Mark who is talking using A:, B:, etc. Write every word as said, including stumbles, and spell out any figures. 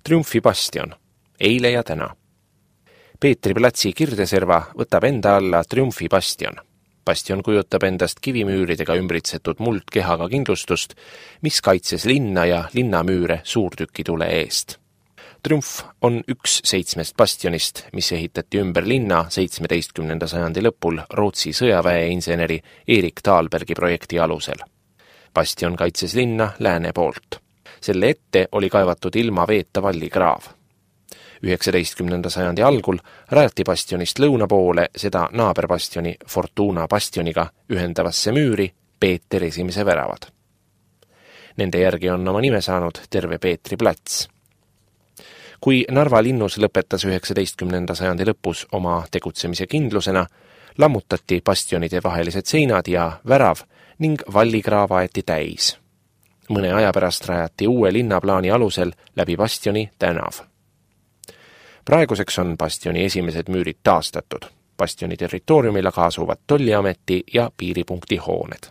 A: Triumfi bastion, eile ja täna. Peetri platsi kirdeserva võtab enda alla Triumfi bastion. Bastion kujutab endast kivimüüridega ümbritsetud muldkehaga kindlustust, mis kaitses linna ja linnamüüre suurtükitule eest. Triumf on üks seitsmest bastionist, mis ehitati ümber linna seitsmeteistkümnenda sajandi lõpul Rootsi sõjaväeinseneri Erik Thalbergi projekti alusel. Bastion kaitses linna lääne poolt. Selle ette oli kaevatud ilma veeta vallikraav. üheksateistkümnenda sajandi algul rajati bastionist lõuna poole seda naaberbastioni Fortuna bastioniga ühendavasse müüri Peeter esimese väravad. Nende järgi on oma nime saanud terve Peetri plats. Kui Narva linnus lõpetas üheksateistkümnenda sajandi lõpus oma tegutsemise kindlusena, lammutati bastionide vahelised seinad ja värav ning vallikraava aeti täis. Mõne aja pärast rajati uue linnaplaani alusel läbi bastioni tänav. Praeguseks on bastioni esimesed müürid taastatud. Bastioni territooriumil aga asuvad tolliameti ja piiripunkti hooned.